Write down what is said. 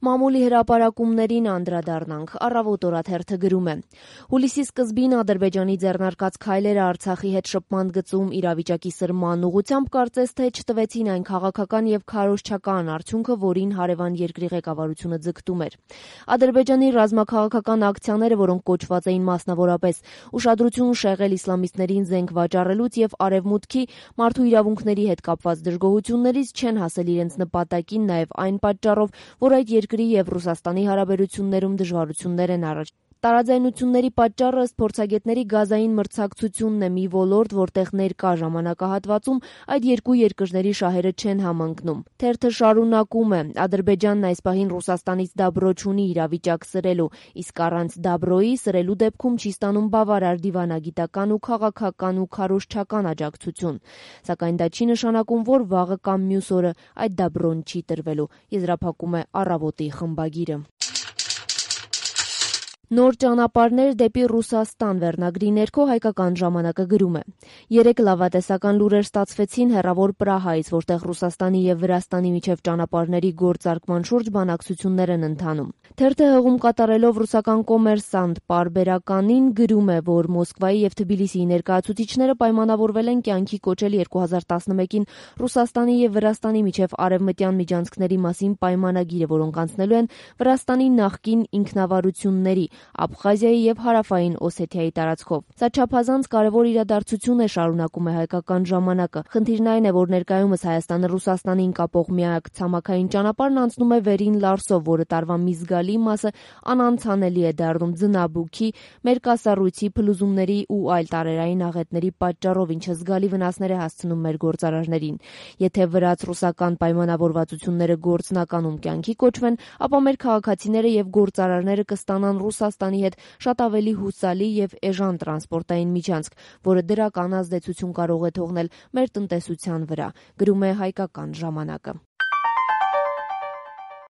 Մամուլի հրապարակումներին անդրադառնանք, Առավոտ օրաթերթը գրում է. հուլիսի սկզբին Ադրբեջանի ձեռնարկած քայլերը Արցախի հետ շփման գծում իրավիճակի սրման ուղղությամբ կարծես թե չտվեցին այն քաղաքական եւ քարոզչական արդյունքը, որին հարևան երկրի ղեկավարությունը ձգտում էր։ Ադրբեջանի ռազմաքաղաքական ակցիաները, որոնք կոչված էին մասնավորապես ուշադրություն շեղել իսլամիստներին զենք վաճառելուց եւ արևմուտքի մարդու իրավունքների հետ կապված դժգոհություններից, չեն հասել իրենց նպատակին նաեւ այն պատճառով, որ այդ երկրի եւ Ռուսաստանի հարաբերություններում դժվարություններ են առաջ։ Տարաձայնությունների պատճառը ըստ փորձագետների գազային մրցակցությունն է, մի ոլորտ, որտեղ ներկա ժամանակահատվածում այդ երկու երկրների շահերը չեն համընկնում։ Թերթը շարունակում է. Ադրբեջանն այս պահին Ռուսաստանից դաբրո չունի իրավիճակ սրելու, իսկ առանց դաբրոյի սրելու դեպքում չի ստանում բավարար դիվանագիտական ու քաղաքական ու քարոզչական աջակցություն։ Սակայն դա չի նշանակում, որ վաղը կամ մյուս օրը այդ դաբրոն չի տրվելու, եզրափակում է Առավոտի խմբագիրը։ Նոր ճանապարհներ դեպի Ռուսաստան վերնագրի ներքո Հայկական ժամանակը գրում է. երեկ լավատեսական լուրեր ստացվեցին հեռավոր Պրահայից, որտեղ Ռուսաստանի եւ Վրաստանի միջև ճանապարհների գործարկման շուրջ բանակցություններ են ընթանում։ Թերթը հղում կատարելով ռուսական Կոմերսանտ պարբերականին գրում է, որ Մոսկվայի եւ Թբիլիսիի ներկայացուցիչները պայմանավորվել են կյանքի կոչել 2011-ին Ռուսաստանի եւ Վրաստանի միջև արևմտյան միջանցքների մասին պայմանագիրը, որոնք անցնելու են Վրաստանի նախկին ինքնավարությունների Աբխազիայի եւ Հարավային Օսեթիայի տարածքով։ Սա չափազանց կարևոր իրադարձություն է, շարունակում է Հայկական ժամանակը։ Խնդիրն այն է, որ ներկայումս Հայաստանը Ռուսաստանին կապող միակ ցամաքային ճանապարհն անցնում է Վերին Լարսով, որը տարվա մի զգալի մասը անանցանելի է դառնում ձնաբուքի, մերկասառույցի փլուզումների ու այլ տարերային աղետների պատճառով, ինչը զգալի վնասներ է հասցնում մեր գործարարներին։ Եթե վրաց-ռուսական պայմանավորվածությունները գործնականում կյանքի կոչվեն, ապա մեր քաղաքացիները եւ գործարարները կստանան Ռուսաստանի հետ շատ ավելի հուսալի եւ էժան տրանսպորտային միջանցք, որը դրական ազդեցություն կարող է թողնել մեր տնտեսության վրա, գրում է Հայկական ժամանակը։